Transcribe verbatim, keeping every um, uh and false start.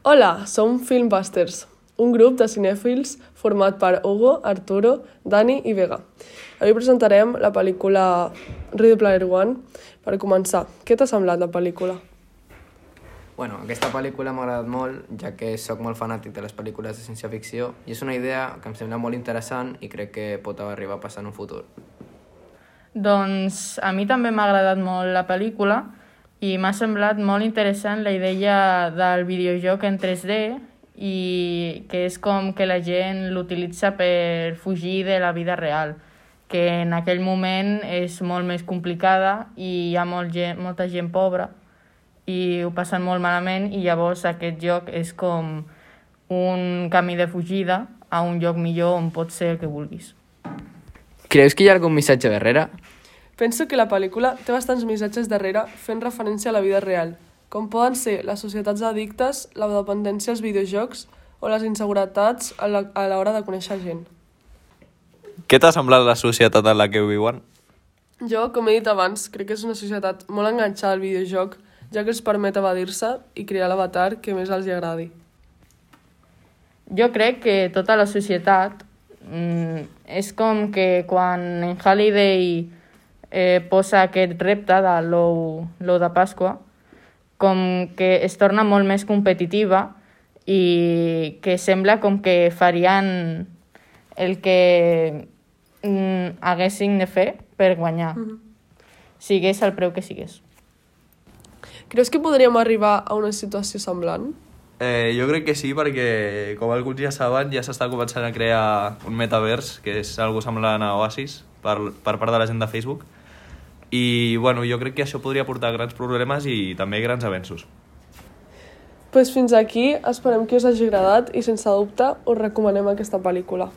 Hola, som Filmbusters, un grup de cinèfils format per Hugo, Arturo, Dani i Vega. Avui presentarem la pel·lícula Ready Player One. Per començar, què t'ha semblat la pel·lícula? Bueno, aquesta pel·lícula m'ha agradat molt, ja que sóc molt fanàtic de les pel·lícules de ciència-ficció i és una idea que em sembla molt interessant i crec que pot arribar a passar en un futur. Doncs a mi també m'ha agradat molt la pel·lícula i m'ha semblat molt interessant la idea del videojoc en tres D i que és com que la gent l'utilitza per fugir de la vida real, que en aquell moment és molt més complicada i hi ha molt gent, molta gent pobra i ho passen molt malament i llavors aquest joc és com un camí de fugida a un lloc millor on pots ser el que vulguis. Creus que hi ha algun missatge darrere? Penso que la pel·lícula té bastants missatges darrere fent referència a la vida real, com poden ser les societats addictes, la dependència als videojocs o les inseguretats a l'hora de conèixer gent. Què t'ha semblat la societat en la que viuen? Jo, com he dit abans, crec que és una societat molt enganxada al videojoc, ja que els permet evadir-se i crear l'avatar que més els agradi. Jo crec que tota la societat mm, és com que quan en Halliday eh, posa aquest repte de l'ou de Pasqua, com que es torna molt més competitiva i que sembla com que farien el que mm, haguessin de fer per guanyar, mm-hmm. sigués el preu que sigués. Creus que podríem arribar a una situació semblant? Eh, jo crec que sí, perquè com alguns ja saben, ja s'està començant a crear un metavers, que és algo semblant a Oasis, per, per part de la gent de Facebook. I bueno, jo crec que això podria portar grans problemes i també grans avenços. Pues fins aquí, esperem que us hagi agradat i sense dubte us recomanem aquesta pel·lícula.